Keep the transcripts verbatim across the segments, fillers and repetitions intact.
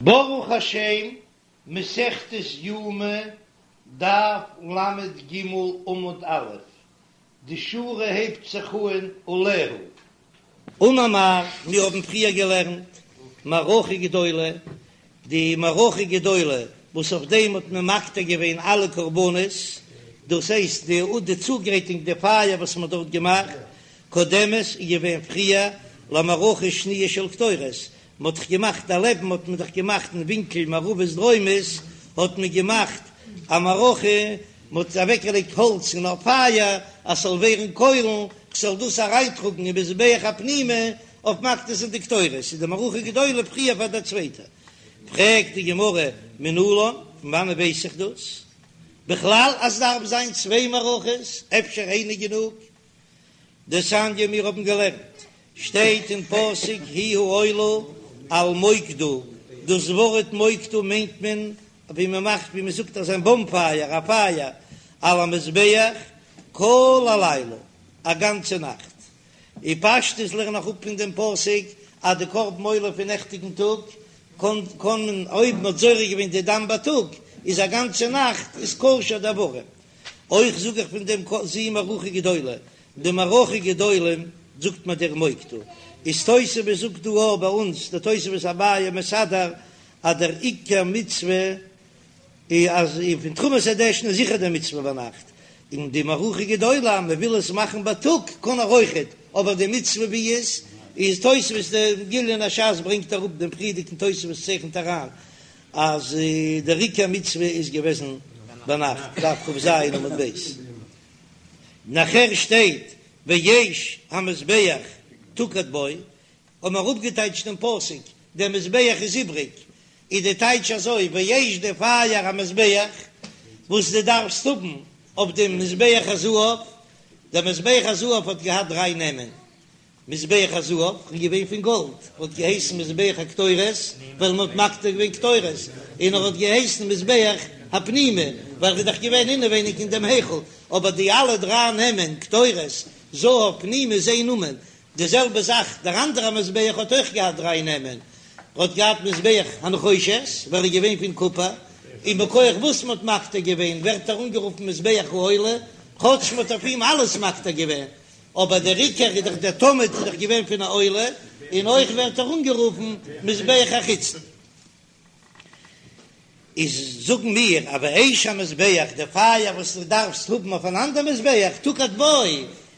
ברוך השם, מסכת יומא, דף ל"ג עמוד א', די שורה הייבט זיך אן עליה. אמר מר, מיר האבן פריער געלערנט מערכה גדולה, די מערכה גדולה וואס אויף דעם האט מען מקטיר געווען אלע קרבנות, דאס הייסט די די צוגרייטונג די פייער וואס מען האט דארט געמאכט, קודמת איז געווען פריער למערכה שניה של קטורת, מען האט דאך געמאכט דערלעבן האט מען דאך געמאכט אין ווינקל מערבית דרומית האט מען געמאכט א מערכה, מען האט אוועקגעלייגט האלץ אין א פייער אז ס'זאל ווערן קוילן, כ'זאל דאס אריינטראגן אין מזבח הפנימי אויף מקטיר זיין די קטורת, איז די מערכה גדולה פריער פאר דער צווייטער. פרעגט די גמרא מנלן, פון וואנען ווייס איך דאס בכלל אז ס'דארף זיין צוויי מערכות, אפשר איינע גענוג? דתניא מיר האבן געלערנט, שטייט אין פסוק היא העולה על מוקדה, דאס ווארט מוקדה מיינט מען ווי מען מאכט ווי מען זאגט אזא באנפייער א פייער על המזבח כל הלילה א גאנצע נאכט, און פשטות לערן איך אפ פון דעם פסוק אז די קרבן עולה פון נעכטיגן טאג קען קען מען אויב מען האט זורק געווען די דם בייטאג איז א גאנצע נאכט איז כשר די איברים. אויך זאג איך פון דעם זו מערכה גדולה, די מערכה גדולה זאגט מען דער מוקדה, איז תוספות זאגט דא אויך ביי אונז די תוספות אביי מסדר אז דער עיקר מצוה איז אז פון תרומת הדשן איז זיכער די מצוה ביינאכט, און די מערכה גדולה אז מען וויל עס מאכן בייטאג קען ער אויכעט, אבער די מצוה ווי איז איז תוספות די גליון הש"ס ברענגט אראפ דעם פריערדיגן תוספות צייכנט אריין אז דער עיקר מצוה איז געוועזן ביינאכט, דף כ"ז עמוד ב', נאכער שטייט ואש המזבח תוקד בו, האבן מיר אפגעטייטשט דעם פסוק, דער מזבח איז איבריג, איז די טייטש אזוי, ואש די פייער המזבח וואס דו דארפסט האבן אויף דעם מזבח הזהב, דער מזבח הזהב האט געהאט דריי נעמען, מזבח הזהב איז געווען פון גאלד, האט געהייסן מזבח הקטורת ווייל מען האט מקטיר געווען קטורת, און ער האט געהייסן מזבח הפנימי ווייל ער איז דאך געווען אינעווייניג אין דעם היכל, אבער די אלע דריי נעמען, קטורת, זהב, פנימי, איז איין נאמען. די זעלבע זאך דער אנדערער מזבח האט אויך געהאט דריי נעמען, ער האט געהאט מזבח הנחושת ווייל ער איז געווען פון קופער, און מכח וואס מען האט מקטיר געווען ווערט ער אנגערופן מזבח העולה, כאטש מען האט אויף אים אלעס מקטיר געווען, אבער דער עיקר איז דאך דער תמיד איז דאך געווען פון א עולה, און אויך ווערט ער אנגערופן מזבח החיצון. איז זאגן מיר אז ואש המזבח, די פייער וואס דו דארפסט האבן אויף אן אנדער מזבח, תוקד בו,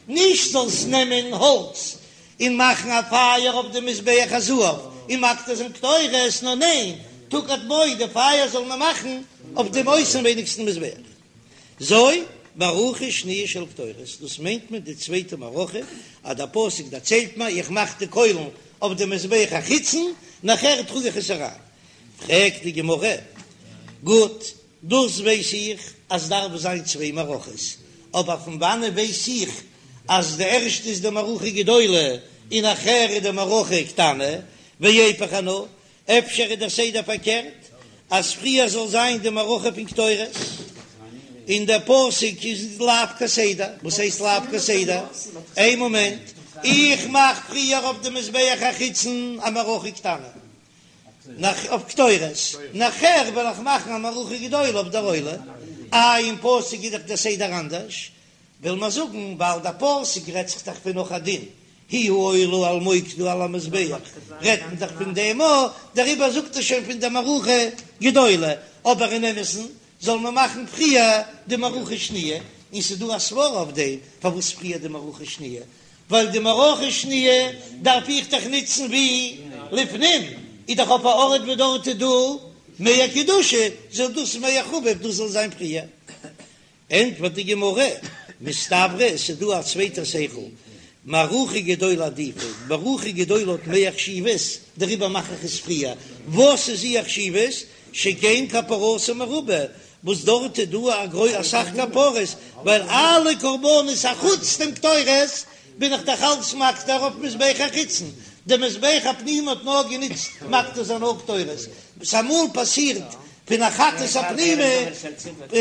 נישט זאלסט נעמען האלץ און מאכן א פייער אויף די מזבח הזהב און מקטיר זיין קטורת, נאר ניין, תוקד בו, די פייער זאל מען מאכן אויף דעם אויסנווייניגסטן מזבח. זו מערכה שניה של קטורת, דאס מיינט מען די צווייטע מערכה, אז דער פסוק דערציילט מיר איך מאך די קוילן אויף די מזבח החיצון, נאכער טראג איך עס אריין. פרעגט די גמרא, גוט, דאס ווייס איך אז דארף זיין צוויי מערכות, אבער פון וואנען ווייס איך אז די ערשטע איז די מערכה גדולה און נאכער איז די מערכה קטנה, ואיפוך אנא, אפשר איז דער סדר פארקערט, אז פריער זאל זיין די מערכה פון קטורת, און דער פסוק איז לאו כסדר, וואס הייסט לאו כסדר? איין מאמענט, איך מאך פריער אויף די מזבח החיצון א מערכה קטנה, נאך אויף קטורת, נאכער וועל איך מאכן א מערכה גדולה אויף דער עולה, איי אין פסוק איז דאך דער סדר אנדערש, וויל מען זאגן ווייל דער פסוק רעדט זיך דאך פון נאך א דין, היא העולה על מוקדה על המזבח, רעדט מען דאך פון דעם א, דעריבער זאגט ער שוין פון דער מערכה גדולה, אבער אין אמת'ן זאל מען מאכן פריער די מערכה שניה, און ס'איז דא א סברא אויף דעם פארוואס פריער די מערכה שניה, ווייל די מערכה שניה דארף איך דאך נוצן ווי לפנים, איז דאך אויף א ארט וואו דארט איז דא מער קדושה, זאל דאס מער חביב דאס זאל זיין פריער. ענטפערט די גמרא, מסתברא עס איז דא א צווייטע שכל, מערכה גדולה עדיפא, מערכה גדולה האט מער חשיבות, דעריבער מאך איך עס פריער, וואס איז איר חשיבות? שכן כפרתה מרובה, וואס דארט איז דא א גרוי אסאך כפרות, ווייל אלע קרבנות אחוץ דעם קטורת בין איך דאך אלץ מקטיר אויף מזבח החיצון, די מזבח הפנימי האט נאר גענוצט מקטיר זיין נאר קטורת, וואס אמאל פאסירט פון א חטאת הפנימי,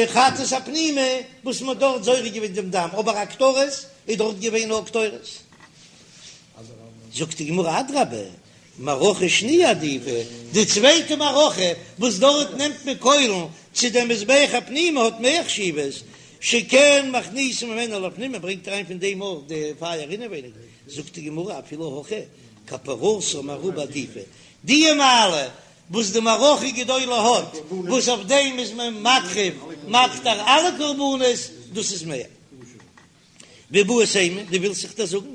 חטאת הפנימי וואס מען האט דארט זורק געווען דעם דם, אבער א קטורת איז דארט געווען נאר קטורת. זאגט די גמרא אדרבה, מערכה שניה עדיפא, די צווייטע מערכה וואס דארט נעמט מען קוילן צו דעם מזבח הפנימי האט מער חשיבות, שכן מכניסין ממנה לפנים, מען ברענגט אריין פון דעם אויך די פייער אינעווייניג, זאגט די גמרא אפילו הכי כפרתה מרובה עדיפא, די מעלה וואס די מערכה גדולה האט, וואס אויף דעם איז מען מקריב מקטיר אלע קרבנות, דאס איז מער. ואיבעית אימא, דו ווילסט זיך דא זאגן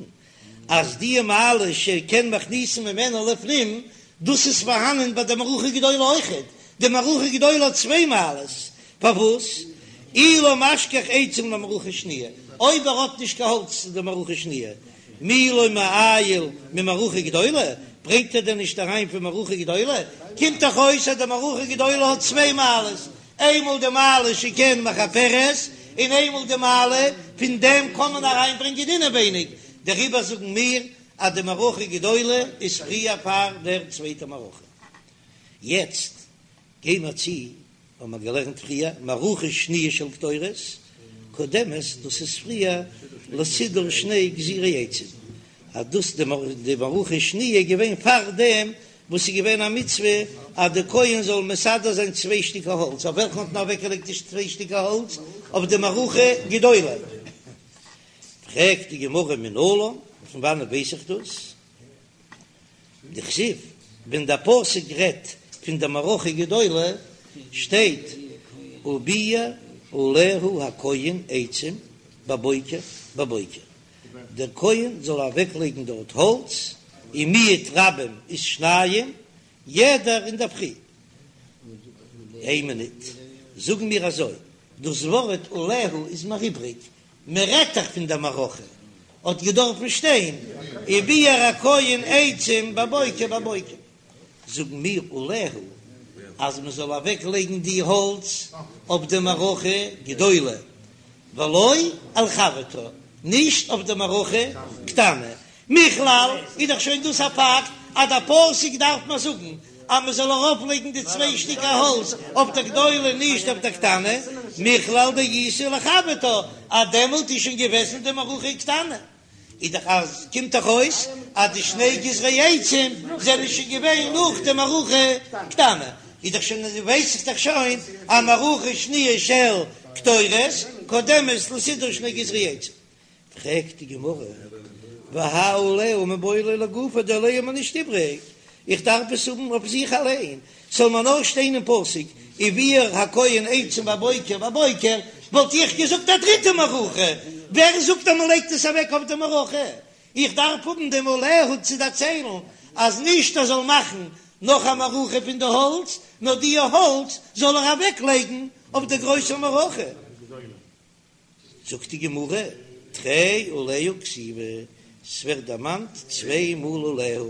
אז די מעלה שכן מכניסין ממנה לפנים, דאס איז פארהאנען ביי די מערכה גדולה אויכעט, די מערכה גדולה האט צוויי מעלות, פארוואס אי לא משכח עצים למערכה שניה, אויב ער האט נישט קיין האלץ צו די מערכה שניה, מי לא מעייל ממערכה גדולה, ברענגט ער דען נישט אריין פון מערכה גדולה? קומט דאך אויס אז די מערכה גדולה האט צוויי מעלות, איינמאל די מעלה שכן מכפרת, און איינמאל די מעלה פון דעם קען מען אריינברענגען אינעווייניג, דעריבער זאגן מיר אז די מערכה גדולה איז פריער פאר דער צווייטער מערכה. יעצט גיי מיר צו האבן מיר געלערנט פריער, מערכה שניה של קטורת קודמת, דאס איז פריער לסידור שני גזירי עצים, אז דאס די מערכה שניה איז געווען פאר דעם וואס איז געווען א מצוה אז די כהן זאל מסדר זיין צוויי שטיקער האלץ, אויף וועלכן האט מען אוועקגעלייגט די צוויי שטיקער האלץ? אויף די מערכה גדולה. פרעגט די גמרא מנלן, פון וואנעט ווייס איך דאס? דכתיב, ווען דער פסוק רעדט פון די מערכה גדולה שטייט וביער עליה הכהן עצים בבוקר בבוקר, דער כהן זאל אוועק לייגן דארט האלץ, און מיעוט רבים איז שניים, יעדער אינדערפרי. איין מינוט, זאגן מיר אזוי, דאס ווארט עליה איז מיר איבריג, מען רעדט דאך פון דער מערכה, האט געדארפן שטיין וביער הכהן עצים בבוקר בבוקר, זאגן מיר עליה אז מען זאל אוועק לייגן די האלץ אויף די מערכה גדולה, ולא על חברתה, נישט אויף די מערכה קטנה, מכלל איז דאך שוין דאס א פאקט אז דער פסוק דארף מיר זאגן אז מען זאל ארויף לייגן די צוויי שטיקער האלץ אויף דער גדולה נישט אויף דער קטנה, מכלל דאיתא לחברתה אז דעמאלט איז שוין געוועזן די מערכה קטנה, איז דאך אז קומט דאך אויס אז די שני גזרי עצים זענען שוין געווען נאך די מערכה קטנה, איז דאך שוין ווייס איך דאך שוין אז מערכה שניה של קטורת קודמת לסידור שני גזרי עצים. פרעגט די גמרא, והאי עליה מיבעי ליה לגופה, די עליה איז מיר נישט איבריג, איך דארף עס האבן אויף זיך אליין, ס'זאל מיר נאר שטיין אין פסוק וביער הכהן עצים בבוקר בבוקר, וואלט איך געזאגט א דריטע מערכה, ווער זאגט אז מ'לייגט עס אוועק אויף די מערכה? איך דארף האבן דעם עליה צו דערציילן אז נישט ער זאל מאכן נאך א מערכה פון די האלץ, נאר די האלץ זאל ער אוועק לייגן אויף די גרויסע מערכה. זאגט די גמרא, תרי עליה כתיבי, ס'ווערט דערמאנט צוויי מאל עליה,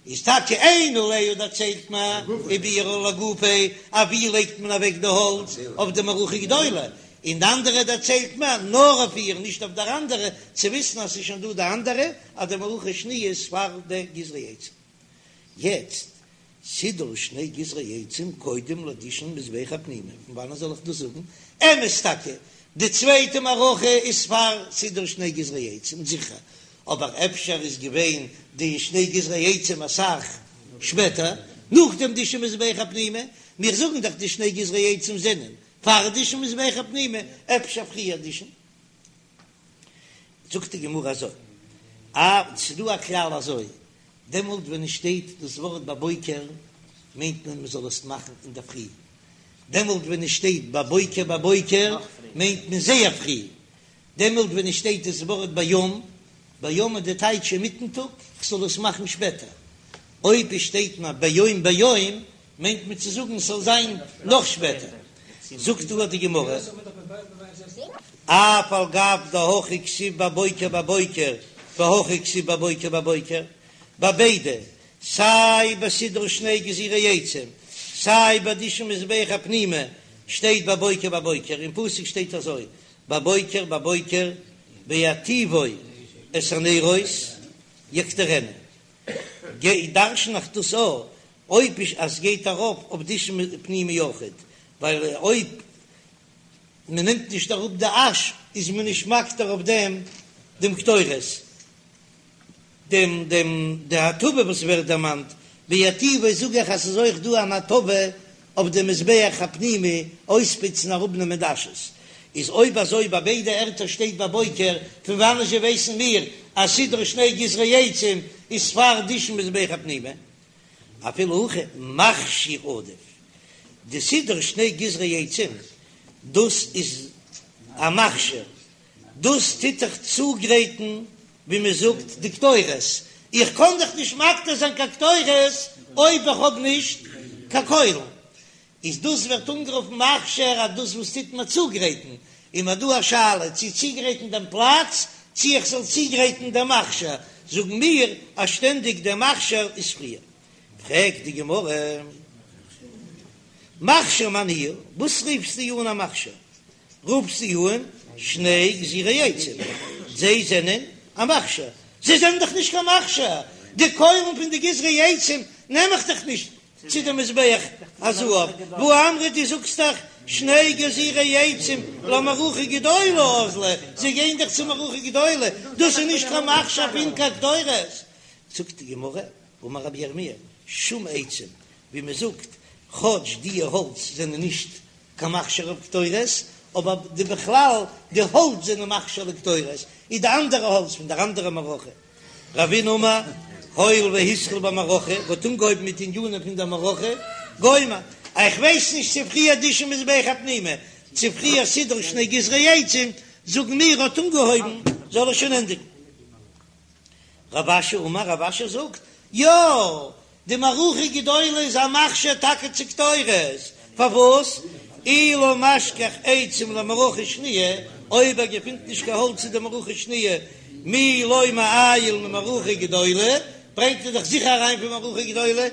איז טאקע איין עליה דערציילט מען וביער לגופה, אויף ווי לייגט מען אוועק די האלץ, אויף די מערכה גדולה, און די אנדערע דערציילט מען נאר אויף איר נישט אויף דער אנדערע, צו וויסן אז ס'איז שוין דא די אנדערע, אז די מערכה שניה איז פאר די גזרי עצים. יעצט סידור שני גזרי עצים קודם לדישון מזבח הפנימי, פון וואנען זאל איך דאס זאגן? אמת טאקע, די צווייטע מערכה איז פאר סידור שני גזרי עצים, זיכער, אבער אפשר איז געווען די שני גזרי עצים אסאך שפעטער, נאך דעם דישון מזבח הפנימי, מיר זאגן דאך די שני גזרי עצים זענען פאר דישון מזבח הפנימי, אפשר פריער דישון. זאגט די גמרא אזוי, א, ס'דא א כלל אזוי, דעמאלט ווען עס שטייט דאס ווארט בבוקר מיינט מען מען זאל עס מאכן אינדערפרי, דעמאלט ווען עס שטייט בבוקר בבוקר מיינט מען זייער פרי, דעמאלט ווען עס שטייט דאס ווארט ביום ביום איז די טייטש אינמיטן טאג, כ'זאל עס מאכן שפעטער, אויב עס שטייט נאר ביום ביום מיינט מען צו זאגן ס'זאל זיין נאך שפעטער, זאגט דא די גמרא, אף על גב דהכא כתיב בבוקר בבוקר והכא כתיב בבוקר בבוקר, ביי ביידע, סיי ביי סידור שני גזירי עצים, סיי ביי דישון מזבח הפנימי, שטייט בבוקר בבוקר, אין פסוק שטייט אזוי, בבוקר בבוקר בהיטיבו את הנרות יקטירנה, גיי דרשן איך דאס א אויב איז אז סגייט ארויף אויף דישון פנימי אויכעט, ווייל אויב מען נעמט נישט אראפ די אש איז מען נישט מקטיר אויף דעם דעם קטורת, דעם דעם די הטבה וואס ווערט דערמאנט בהיטיבו זאג איך אז ס'איז אויך דא אן הטבה אויף די מזבח הפנימי אויספוצן אראפנעמען די אשעס, איז אויב אזוי ביי ביידע ערטער שטייט בבוקר, פון וואנען זשע ווייסן מיר אז סידור שני גזרי עצים איז פאר דישון מזבח הפנימי? אפילו הכי מכשיר עדיף, די סידור שני גזרי עצים דאס איז א מכשיר, דאס טוט דאך צוגרייטן ווי מען זאגט די קטורת, איך קען דאך נישט מקטיר זיין קיין קטורת אויב איך האב נישט קיין קוילן, איז דאס ווערט אנגערופן מכשיר אז דאס וואס טוט מיר צוגרייטן, איז מיר דא א שאלה צו צוגרייטן דעם פלאץ צו איך זאל צוגרייטן דעם מכשיר, זאגן מיר אז שטענדיג דער מכשיר איז פריער. פרעגט די גמרא, מכשיר מאי ניהו, וואס רופסטו אן א מכשיר? רופסטו אן שני גזירי עצים, זיי זענען א מכשיר, זיי זענען דאך נישט קיין מכשיר, די קוילן פון די גזרי עצים נעם איך דאך נישט צו די מזבח הזהב, והא אמרת דו זאגסט דאך שני גזירי עצים למערכה גדולה אזלו, זיי גייען דאך צו מערכה גדולה, דאס איז נישט קיין מכשיר פון קיין קטורת, זאגט די גמרא, אמר רבי ירמי', שום עצים, ווי מען זאגט, כאטש די האלץ זענען נישט קיין מכשיר אויף קטורת, אבער די בכלל די האלץ זענען מכשיר לקטורת, איז די אנדערע האלץ פון דער אנדערע מערכה. רבינא אמר, הואיל והתחיל במערכה, האט אנגעהויבן מיט ענינים פון דער מערכה, גומר, איך ווייס נישט צו פריער דישון מזבח הפנימי, צו פריער סידור שני גזרי עצים, זאגן מיר האט אנגעהויבן, זאל ער שוין ענדיגן. רב אשי אמר, רב אשי זאגט, יא, די מערכה גדולה איז א מכשיר טאקע צו קטורת, פארוואס? אי לא משכח עצים למערכה שניה, אויב ער געפינט נישט קיין האלץ צו די מערכה שניה, מי לא מעייל ממערכה גדולה, ברענגט ער דאך זיכער אריין פון מערכה גדולה,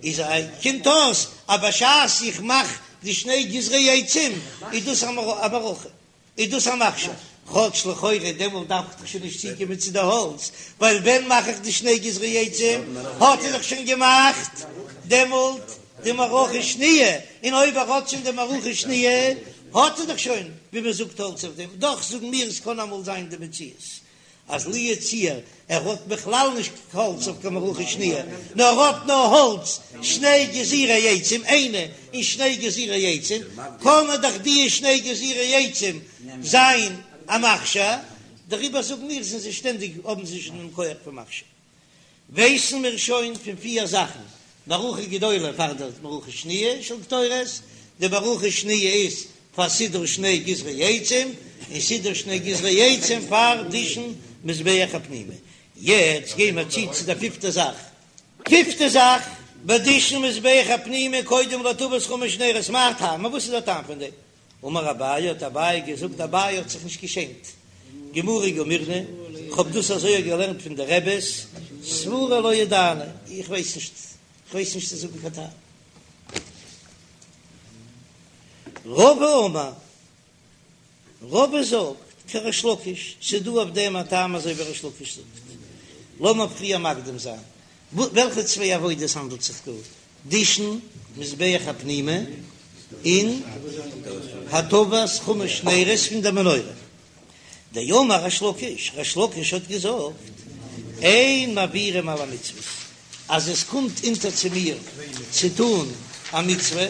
איז קומט אויס אז בשעת איך מאך די שני גזרי עצים איז דאס א מערכה. איז דאס א מכשיר? כאטש לכאורה דעמאלט דארף איך דאך שוין נישט צוקומען צו די האלץ, ווייל ווען מאך איך די שני גזרי עצים האט ער דאך שוין געמאכט דעמאלט די מערכה שניה, און אויב ער האט שוין די מערכה שניה האט ער דאך שוין ווי מען זאגט האלץ אויף דעם, דאך זאגן מיר עס קען אמאל זיין די מציאות אז לו יצוייר ער האט בכלל נישט קיין האלץ אויף קיין מערכה שניה, נאר ער האט נאר האלץ שני גזירי עצים איינע און שני גזירי עצים, קען ער דאך די שני גזירי עצים זיין א מכשיר, דעריבער זאגן מיר זענען זיי שטענדיג האבן זיי שוין דעם כח פון מכשיר. ווייסן מיר שוין פון פיר זאכן, מערכה גדולה פאר די מערכה שניה של קטורת, די מערכה שניה איז פאר סידור שני גזרי עצים, און סידור שני גזרי עצים פאר דישון מזבח הפנימי. יעצט גייען מיר צו צו די פיפטע זאך. פיפטע זאך, בדישון מזבח הפנימי קודם להטבת חמש נרות, מאי טעמא, וואס איז דער טעם פון דעם? אמר אביי, האט אביי געזאגט, אביי האט זיך נישט געשעמט, גמרא גמירנא, כ'האב דאס אזוי געלערנט פון די רעבעס, סבורא לא ידענא, איך ווייס נישט, איך ווייס נישט צו זאגן קיין טעם. רבא אמר, רבא זאגט, כריש לקיש, ס'איז דא אויף דעם א טעם אזוי ווי ריש לקיש זאגט. לאמיר פריער מקדים זיין, וועלכע צוויי עבודות האנדלט זיך דא? דישון מזבח הפנימי און הטבת חמש נרות פון דער מנורה. דאמר ריש לקיש, ריש לקיש האט געזאגט, אין מעבירים על המצוות, אז עס קומט אונטער צו מיר צו טון א מצוה,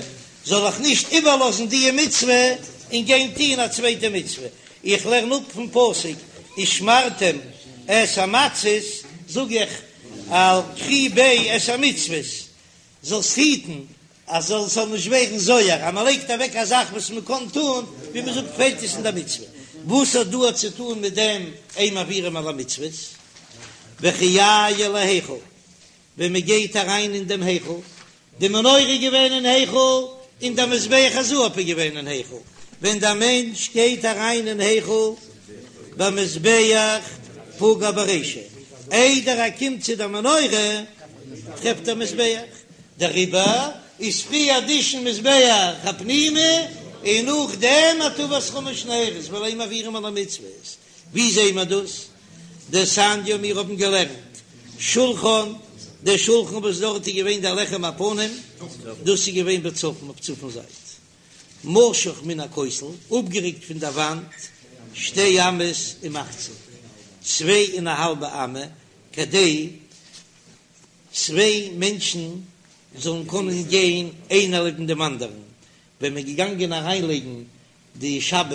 זאל איך נישט איבערלאזן די מצוה און גיין טון א צווייטע מצוה. איך לערן אפ פון פסוק ושמרתם את המצות, זאג איך על קרי ביה את המצוות, זאלסט היטן אז עס זאל נישט ווערן זויער, אז מען לייגט אוועק א זאך וואס מען קען טון, ווי מען זאגט פעלט עס אין די מצוה, וואס האט דא צו טון מיט דעם אין מעבירים על המצוות? וכי יעייל להיכל, ווען מען גייט אריין אין דעם היכל, די מנורה איז געווען אין היכל און דער מזבח הזהב איז געווען אין היכל, ווען דער מענטש גייט אריין אין היכל במזבח פגע ברישא, איידער ער קומט צו דער מנורה טרעפט ער מזבח, דעריבער איז פריער דישון מזבח הפנימי און נאכדעם הטבת חמש נרות ווייל אין מעבירים על המצוות, ווי זעהן מיר דאס? דתניא מיר האבן געלערנט שולחן, דער שולחן וואס דארט איז געווען דער לחם הפנים, דאס איז געווען בצפון אויף צפון זייט, משוך מן הכותל, אפגערוקט פון דער וואנט שתי אמות ומחצה, צוויי און א האלבע אמה, כדי צוויי מענטשן זאלן קענען גיין איינער לעבן דעם אנדערן, ווען מען איז געגאנגען אריינלייגן די שבת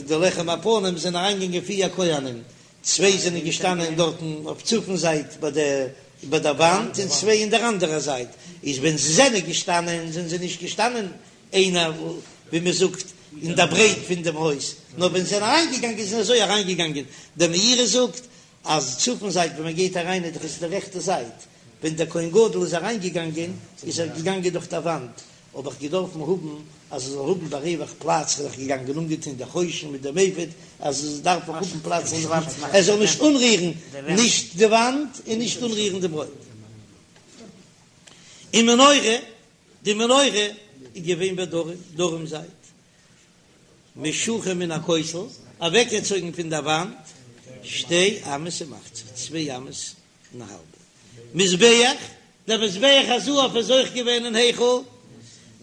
די לחם הפנים זענען אריינגעגאנגען פיר כהנים, צוויי זענען געשטאנען דארטן אויף צפון זייט ביי די ביי דער וואנט און צוויי אין דער אנדערער זייט, איז ווען זיי זענען געשטאנען זענען זיי נישט געשטאנען איינער ווי מען זאגט אין דער ברייט פון דעם הויז, נאר ווען זיי זענען אריינגעגאנגען זענען אזוי אריינגעגאנגען, דער מאירי זאגט אז צפון זייט ווען מען גייט אריין איז דאך עס די רעכטע זייט, ווען דער כהן גדול איז אריינגעגאנגען איז ער געגאנגען דורך דער וואנט, האב איך געדארפן האבן אז ער זאל האבן בריווח פלאץ, איז ער געגאנגען אנגעטון די חושן מיט דעם אפוד, אז עס דארף אויך האבן פלאץ ער זאל נישט אנרירן נישט די וואנט און נישט אנרירן די ברויט. און מנורה, די מנורה איז געווען בדרום, דרום זייט, משוכה מן הכותל, אוועקגעצויגן פון דער וואנט, שתי אמות ומחצה, צוויי אמות און א האלבע. מזבח, דער מזבח הזהב איז אויך געווען אין היכל,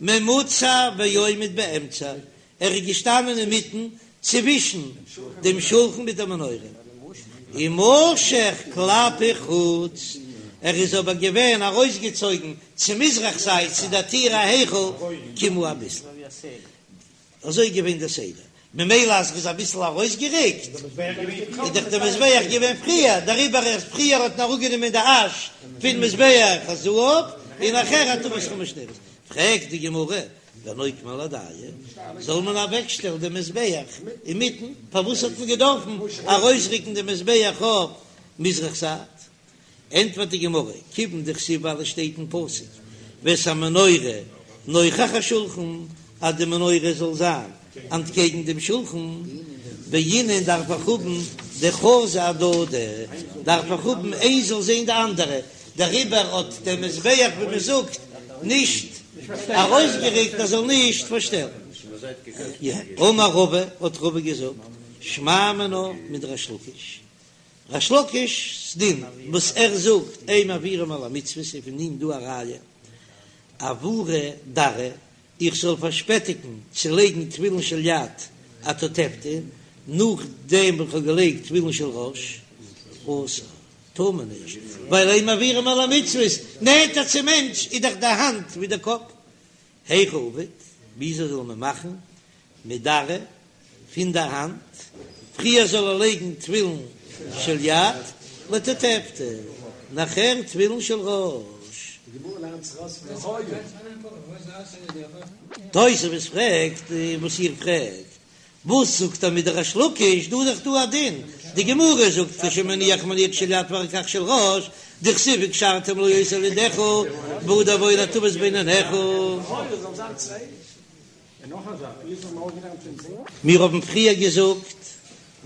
ממוצע ועומד באמצע, ער איז געשטאנען אינמיטן צווישן דעם שולחן מיט דער מנורה, ומשוך כלפי חוץ, ער איז אבער געווען ארויסגעצויגן צו מזרח זייט צו דער טיר ההיכל קימה אביסל. אזוי איז געווען דער סדר, ממילא אז ער איז אביסל ארויסגעריקט איז דאך דער מזבח געווען פריער, דעריבער ערשט פריער האט מען אראפגענומען די אש פון מזבח הזהב און נאכער הטבת חמש נרות. פרעגט די גמרא, ונוקמה להדיה, זאל מען אוועקשטעלן דעם מזבח אינמיטן, פארוואס האט מען געדארפן ארויסריקן דעם מזבח אויף מזרח זייט? ענטפערט די גמרא, כיוון דכתיב ווייל עס שטייט אין פסוק ואת המנורה נוכח השולחן אז די מנורה זאל זיין אנטקעגן דעם שולחן, בעינן דארף איך האבן דחזו אהדדי, דארף איך האבן איינס זאל זען די אנדערע, דעריבער האט דער מזבח ווי מען זאגט נישט ארויסגעריקט ער זאל נישט פארשטעלן. אמר רבא, האט רבא געזאגט, שמע מינה מדריש לקיש, ריש לקיש'ס דין וואס ער זאגט אין מעבירין על המצוות איז פון אים דא א ראיה אעבורי דרעא איך זאל פארשפעטיגן צו לייגן תפילין של יד אתותבתא נאכדעם וואס כ'האב געלייגט תפילין של ראש אסור טאר מען נישט ווייל אין מעבירין על המצוות נענטער צום מענטש איז דאך די האנט ווי די קאפ היכי עביד וויאזוי זאל מען מאכן מדרעא פון דער האנט, פריער זאל ער לייגן תפילין של יד לתותבתא, נאכער תפילין של ראש. תוספות פרעגט וואס איר פרעגט, וואס זאגט ער מדריש לקיש, דא איז דאך דא א דין, די גמרא זאגט כשמניח מניח של יד ואחר כך של ראש, דכתיב וקשרתם לאות על ידך והדר בעי להטות בין עיניך. מיר האבן פריער געזאגט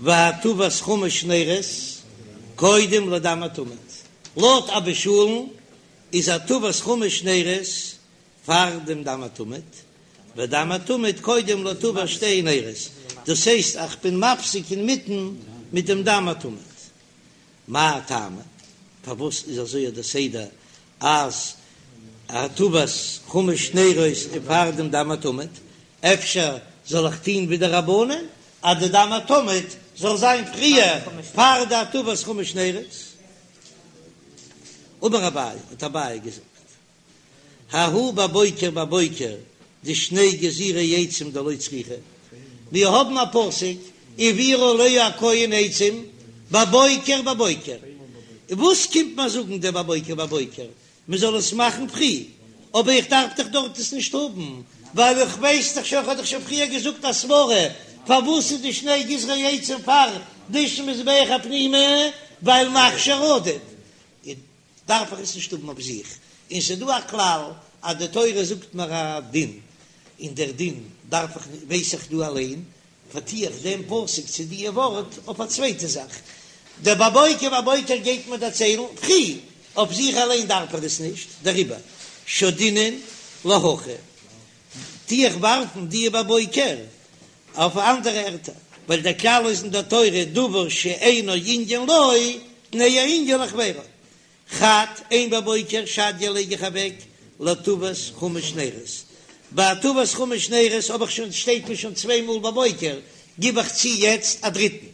והטבת חמש נרות קודם לדם התמיד, לויט אבא שאול'ן איז הטבת חמש נרות פאר דעם דם התמיד, ודם התמיד קודם להטבת שתי נרות, דאס הייסט איך בין מפסיק אינמיטן מיט דעם דם התמיד. מאי טעמא? פארוואס איז אזוי דער סדר אז הטבת חמש נרות איז פאר דעם דם התמיד? אפשר זאל איך טוהן ווי די רבנן אז די דם התמיד זאל זיין פריער פאר די הטבת חמש נרות? אמר אביי, האט אביי געזאגט, ההוא בבוקר בבוקר דשני גזירי עצים דלא צריכי, מיר האבן א פסוק והעביר עליה הכהן עצים בבוקר בבוקר, וואס קומט מיר זאגן דער בבוקר בבוקר מען זאל עס מאכן פרי, אבער איך דארף דאך דארט עס נישט האבן ווייל איך ווייס דאך שוין, איך האב דאך שוין פריער געזאגט א סברא פארוואס איז די שני גזרי עצים פאר דישון מזבח הפנימי ווייל מכשיר עדיף, דארף איך עס נישט האבן אויף זיך, און ס'איז דא א כלל אז די תורה זאגט מיר א דין, און דער דין דארף איך ווייס איך דא אליין, פארטו איך דעם פסוק צו די ווארט אויף א צווייטע זאך, דער בבוקר בבוקר גייט מיר דערציילן פרי, אויף זיך אליין דארף איך עס נישט, דעריבער שדינן להכא, טו איך ווארפן די בבוקר אויף אנדערע ערטער, ווייל דער כלל איז אין דער תורה דבר שאינו ענין לו, תנהו ענין לחבירו. חד, איין בבוקר שדיא לייג איך אוועק להטבת חמש נרות. ביי הטבת חמש נרות האב איך שוין, שטייט מיר שוין צוויי מאל בבוקר, גיב איך צו יעצט א דריטן.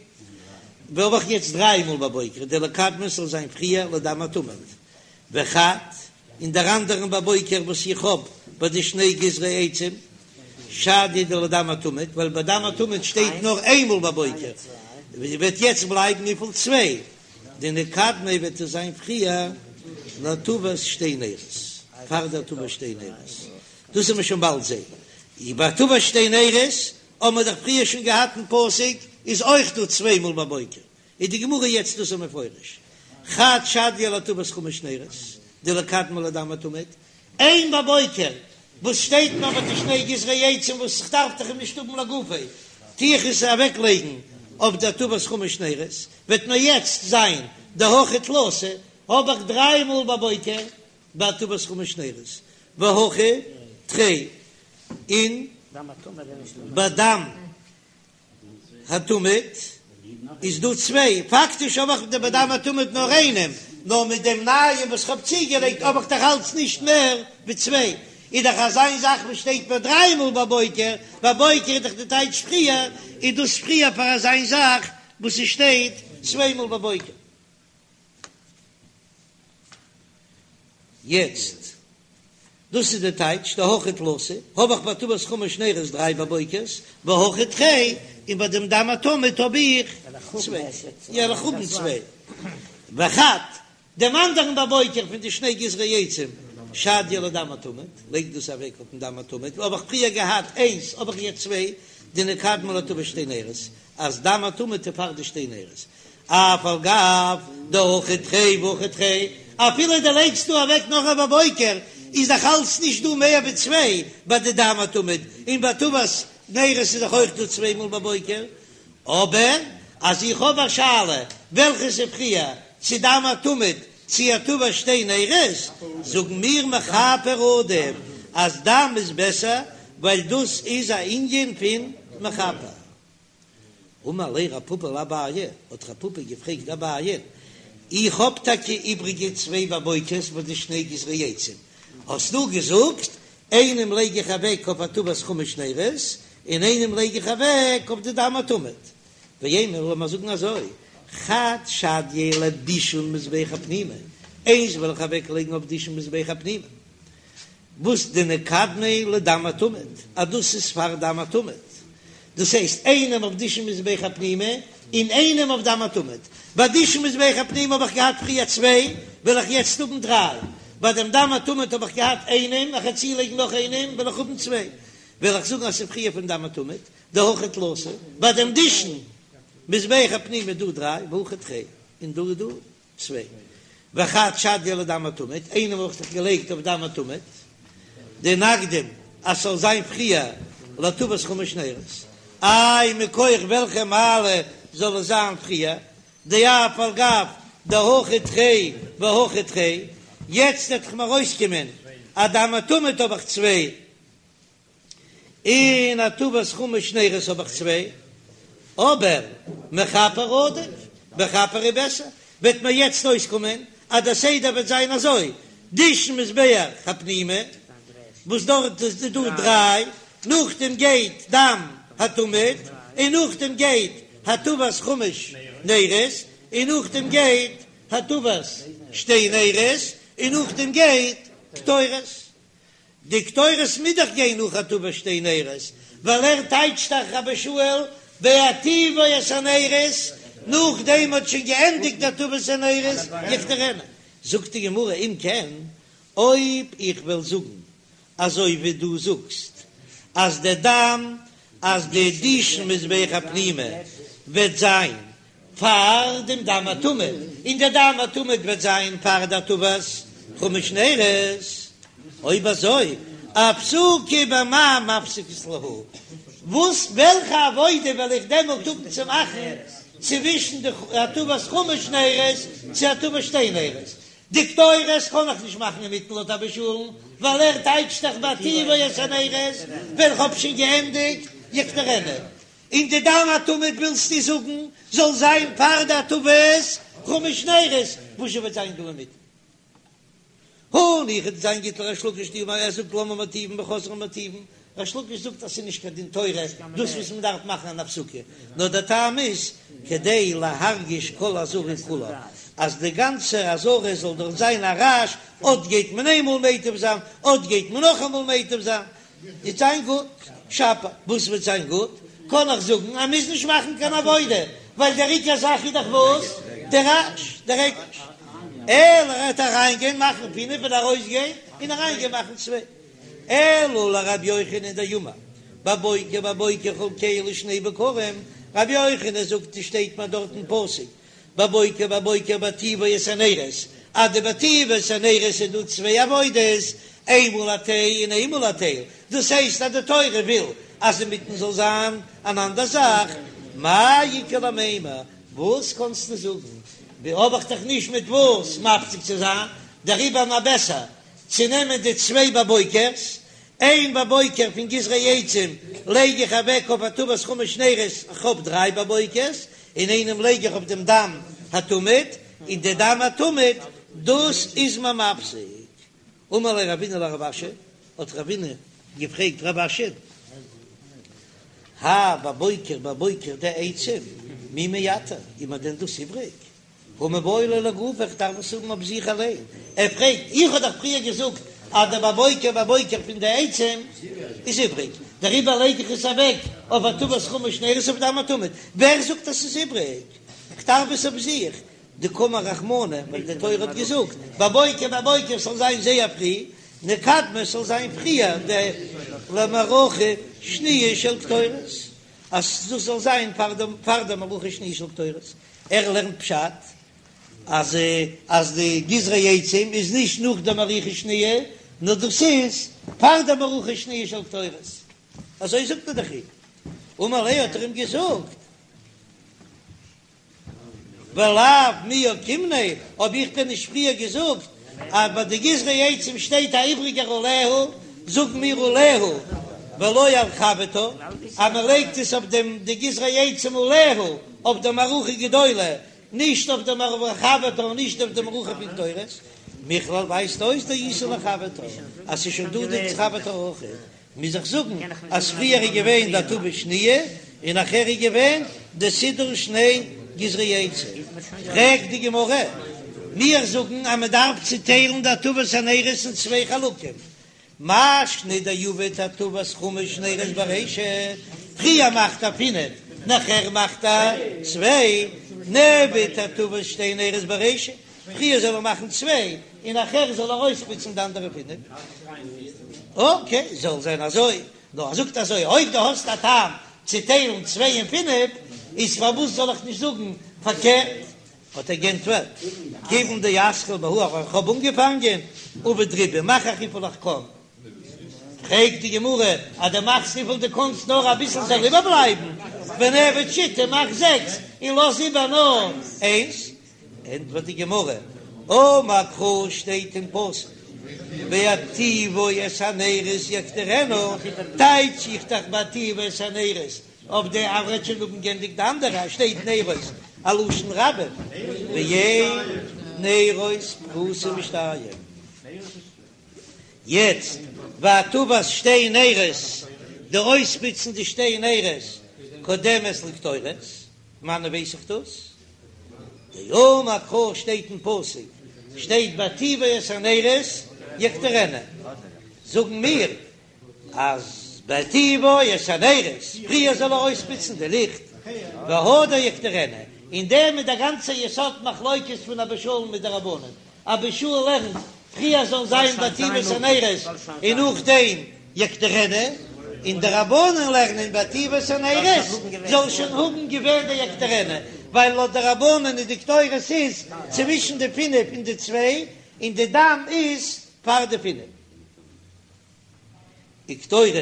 ווי האב איך יעצט דריי מאל בבוקר, דליקדמיה ס'זאל זיין פריער לדם התמיד. וחד, אין דער אנדערן בבוקר וואס איך האב ביי די שני גזרי עצים, שדייה דלדם התמיד, ווייל ביי דם התמיד שטייט נאר איינמאל בבוקר, וועט יעצט בלייבן וויפיל? צוויי, דנקדמיה וועט עס זיין פריער להטבת שתי נרות, פאר די הטבת שתי נרות, דאס וועט מען שוין באלד זען, ביי הטבת שתי נרות האבן מיר דאך פריער שוין געהאט אין פסוק איז אויך דא צוויי מאל בבוקר, איז די גמרא יעצט דאס מפרש, חד שדייה להטבת חמש נרות, דליקדמיה לדם התמיד, איין בבוקר וואס שטייט נאר ביי די שני גזרי עצים וואס איך דארף דאך אים נישט האבן לגופו, טו איך עס אוועק לייגן אויף די הטבת חמש נרות, וועט מיר יעצט זיין דהכא תלתא, האב איך דריי מאל בבוקר ביי הטבת חמש נרות, והכא תרי, און ביי דם התמיד איז דא צוויי, פאקטיש האב איך ביי דם התמיד נאר איינעם, נאר מיט דעם נייעם וואס כ'האב צוגעלייגט האב איך דאך אלץ נישט מער ווי צוויי, איז דאך אזא זאך וואס שטייט מיר דריי מאל בבוקר, בבוקר איז דאך די טייטש פריער, איז דאס פריער פאר אזא זאך וואס עס שטייט צוויי מאל בבוקר. יעצט, דאס איז די טייטש, דהכא תלתא, האב איך ביי הטבת חמש נרות דריי בבוקר'ס, והכא תרי, און ביי דעם דם התמיד האב איך צוויי, יא איך האב צוויי, וחד, דעם אנדערן בבוקר פון די שני גזרי עצים, שדייה לדם התמיד, לייג דאס אוועק אויפן דם התמיד, האב איך פריער געהאט איינס, האב איך יעצט צוויי, דנקדמיה להטבת שתי נרות, אז דם התמיד איז פאר די שתי נרות, אף על גב דהכא תרי והכא תרי, אפילו דו לייגסט דא אוועק נאך א בבוקר, איז דאך אלץ נישט דא מער ווי צוויי ביי די דם התמיד, און ביי הטבת נרות איז דאך אויך דא צוויי מאל בבוקר, אבער אז איך האב א שאלה וועלכעס איז פריער, צו דם התמיד צו הטבת שתי נרות, זאגן מיר מכפר עדיף אז דם איז בעסער ווייל דאס איז א ענין פון מכפר. אמר ליה רב פפא לאביי, האט רב פפא געפרעגט אביי, איך האב טאקע איבריגע צוויי בבוקר'ס ביי די שני גזרי עצים, האסטו געזאגט, איינעם לייג איך אוועק אויף הטבת חמש נרות, און איינעם לייג איך אוועק אויף די דם התמיד. ואימא, לאמיר זאגן אזוי, חד שדייה לדישון מזבח הפנימי, איינס וועל איך אוועק לייגן אויף דישון מזבח הפנימי, וואס דנקדמיה לדם התמיד, אז דאס איז פאר דם התמיד, דאס הייסט איינעם אויף דישון מזבח הפנימי און איינעם אויף דם התמיד, ביי דישון מזבח הפנימי האב איך געהאט פריער צוויי, וועל איך יעצט האבן דריי, ביי דעם דם התמיד האב איך געהאט איינעם, איך וועל צולייגן נאך איינעם וועל איך האבן צוויי, וועל איך זאגן אז ס'איז פריער פון דם התמיד, דהכא תלתא, ביי דעם דישון מזבח הפנימי איז דא דריי, והכא תרי, און דא איז דא צוויי. וחד שדייה לדם התמיד, איינעם האב איך דאך געלייגט אויף דם התמיד, דנקדים אז ס'זאל זיין פריער להטבת חמש נרות, איי מכח וועלכע מעלה זאל עס זיין פריער, דאף על גב דהכא תרי והכא תרי, יעצט וועט דאך מיר ארויסקומען אז דם התמיד האב איך צוויי, און הטבת חמש נרות האב איך צוויי, אבער מכפר עדיף, מכפר איז בעסער, וועט מיר יעצט אויסקומען אז דער סדר וועט זיין אזוי, דישון מזבח הפנימי, וואס דארט איז דא דריי, נאכדעם גייט דם התמיד, און נאכדעם גייט הטבת חמש נרות, און נאכדעם גייט הטבת שתי נרות, און נאכדעם גייט קטורת. די קטורת מוז דאך גיין נאך הטבת שתי נרות, ווייל ער טייטשט דאך רבי ישמעאל בהיטיבו את הנרות, נאכדעם מ'האט שוין געענדיגט די הטבת הנרות יקטירנה. זאגט די גמרא אם כן, אויב איך וועל זאגן אזוי ווי דו זאגסט אז די דם אז די דישון מזבח הפנימי וועט זיין פאר דעם דם התמיד, און דער דם התמיד וועט זיין פאר די הטבת חמש נרות, אויב אזוי אפסוקי במאי מפסקת להו, וואס וועלכע עבודה וועל איך דעמאלט האבן צו מאכן צווישן די הטבת חמש נרות צו הטבת שתי נרות? די קטורת קען איך נישט מאכן אינמיטן לויט אבא שאול'ן, ווייל ער טייטשט דאך בהיטיבו את הנרות, ווען כ'האב שוין געענדיגט יקטירנה. און די דם התמיד ווילסטו זאגן זאל זיין פאר די הטבת חמש נרות, וואס זשע וועט זיין דא אינמיטן? הניחא ס'וועט זיין גוט לריש לקיש דאמר ער זאגט למה מטיבין וחוזרין ומטיבין, ריש לקיש זאגט אז ס'איז נישט קיין דין תורה דאס וואס מען דארף מאכן אן הפסקה, נאר דער טעם איז כדי להרגיש כל העזרה כולה, אז די גאנצע עזרה זאל דארט זיין א רעש, אט גייט מען איינמאל מיטיב זיין, אט גייט מען נאכאמאל מיטיב זיין, וועט זיין גוט, שפיר, וואס וועט זיין גוט? קען איך זאגן אז מ'מוז נישט מאכן קיין עבודה, ווייל דער עיקר זאך איז דאך וואס? דער רעש, דער הקש. אלא ער וועט אריינגיין מאכן פינף און ארויסגיין און אריינגיין מאכן צוויי. אלא לרבי יוחנן דאמר בבוקר בבוקר חלקהו לשני בקרים, רבי יוחנן זאגט עס שטייט מיר דארט אין פסוק בבוקר בבוקר בהטיבו את הנרות, אז די בהטיבו את הנרות איז דא צוויי עבודות, איינמאל א טייל און איינמאל א טייל, דאס הייסט אז די תורה וויל אז אינמיטן זאל זיין אן אנדער זאך, מאי איכא למימר, וואס קענסטו זאגן, ווי האב איך דאך נישט מיט וואס מפסיק צו זיין, דעריבער נאר בעסער צו נעמען די צוויי בבוקר'ס, איין בבוקר פון גזרי עצים לייג איך אוועק אויף הטבת חמש נרות, איך האב דריי בבוקר'ס, און איינעם לייג איך אויף דעם דם התמיד, און די דם התמיד דאס איז מיר מפסיק. אמר ליה רבינא לרב אשי, האט רבינא געפרעגט רב אשי, האי בבוקר בבוקר דעצים מי מייתר, איז מיר דען דאס איבריג? הא מיבעי ליה לגופיה, איך דארף עס האבן אויף זיך אליין. ער פרעגט, איך האב דאך פריער געזאגט אז דער בבוקר בבוקר פון די עצים איז איבריג, דעריבער לייג איך עס אוועק אויף הטבת חמש נרות אויף דם התמיד. ווער זאגט אז ס'איז איבריג? איך דארף עס אויף זיך. דקאמר רחמנא, ווייל די תורה האט געזאגט בבוקר בבוקר ס'זאל זיין זייער פרי, נקדמה ס'זאל זיין פריער די למערכה שניה של קטורת, אז דאס זאל זיין פאר די מערכה שניה של קטורת. ער לערנט פשט אז אז די גזרי עצים איז נישט נאך די מערכה שניה, נאר דאס איז פאר די מערכה שניה של קטורת, אזוי זאגט ער דאך אים. אמר ליה האט ער אים געזאגט, ולאו מי אוקימנא, האב איך דען נישט פריער געזאגט אז ביי די גזרי עצים שטייט א איבריגער עליה, זאגן מיר עליה ולא על חברתה, אז מען לייגט עס אויף דעם די גזרי עצים עליה אויף די מערכה גדולה, נישט אויף די מערכה חברתה און נישט אויף די מערכה פון קטורת, מכלל ווייזט אויס דאיתא לחברתה אז ס'איז שוין דא די חברתה אויך. מוז איך זאגן אז פריער איז געווען די הטבה שניה און נאכער איז געווען די סידור שני גזרי עצים. פרעגט די גמרא, מיר זאגן אז מען דארף צוטיילן די הטבת הנרות אין צוויי חלקים, מאי שנא דעביד הטבת חמש נרות ברישא, פריער מאכט ער פינף נאכער מאכט ער צוויי, נעביד הטבת שתי נרות ברישא, פריער זאל ער מאכן צוויי און נאכער זאל ער אויספוצן די אנדערע פינף. אקעי, זאל זיין אזוי. נאר ער זאגט אזוי, אויב דו האסט א טעם צו טיילן צוויי און פינף, איז פארוואס זאל איך נישט זאגן פארקערט? האט ער גענטפערט, כיוון דאתחיל בהא, אבער איך האב אנגעפאנגען, עביד רובא, מאך איך וויפיל איך קען. פרעגט די גמרא, אז דו מאכסט וויפיל דו קאנסט נאר אביסל זאל איבערבלייבן, ונעביד שיתא, מאך זעקס און לאז איבער נאר איינס. ענטפערט די גמרא, אמר קרא שטייט אין פסוק בהטיבו את הנרות יקטירנה, טייטש איך דאך בהטיבו את הנרות אויף די אז מ'וועט שוין האבן גענדיגט די אנדערע שטייט נרות א לשון רבים ואין נרות פחותין משתיים. יעצט והטבת שתי נרות, די אויספוצן די שתי נרות קודמת לקטורת, פון וואנען ווייס איך דאס? דאמר קרא שטייט אין פסוק שטייט בהטיבו את הנרות יקטירנה, זאגן מיר אז בהטיבו את הנרות פריער זאל ער אויספוצן די ליכט והדר יקטירנה, אין דעם איז דער גאנצער יסוד מחלוקת פון אבא שאול מיט די רבנן, אבא שאול לערנט פריער זאל זיין בהטיבו את הנרות און נאכדעם יקטירנה, און די רבנן לערנען בהטיבו את הנרות זאל שוין האבן געווען די יקטירנה, ווייל לויט די רבנן איז די קטורת איז צווישן די פינף און די צוויי, און די דם איז פאר די פינף. וקטורת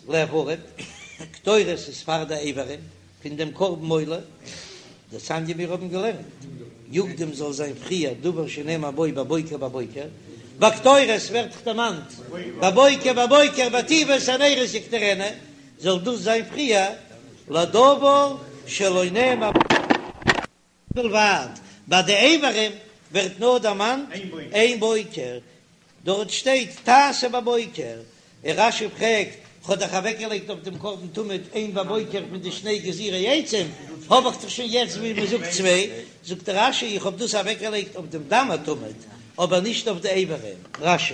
לאיברים, קטורת איז פאר די איברים פון דעם קרבן עולה, דתניא מיר האבן געלערנט, יקדים זאל זיין פריער דבר שנאמר בו בבוקר בבוקר, ביי קטורת ווערט דערמאנט בבוקר בבוקר בהטיבו את הנרות יקטירנה, זאל דאס זיין פריער לדבר שלא נאמר בלבד, ביי די איברים ווערט נאר דערמאנט איין בוקר, דארט שטייט תעשה בבוקר, און רש"י פרעגט כ'האב דאך אוועקגעלייגט אויף דעם קרבן תמיד איין בבוקר מיט די שני גזירי עצים, האב איך דאך שוין יעצט ווי מען זאגט צוויי, זאגט רש"י איך האב דאס אוועקגעלייגט אויף דעם דם התמיד, אבער נישט אויף די איברים. רש"י.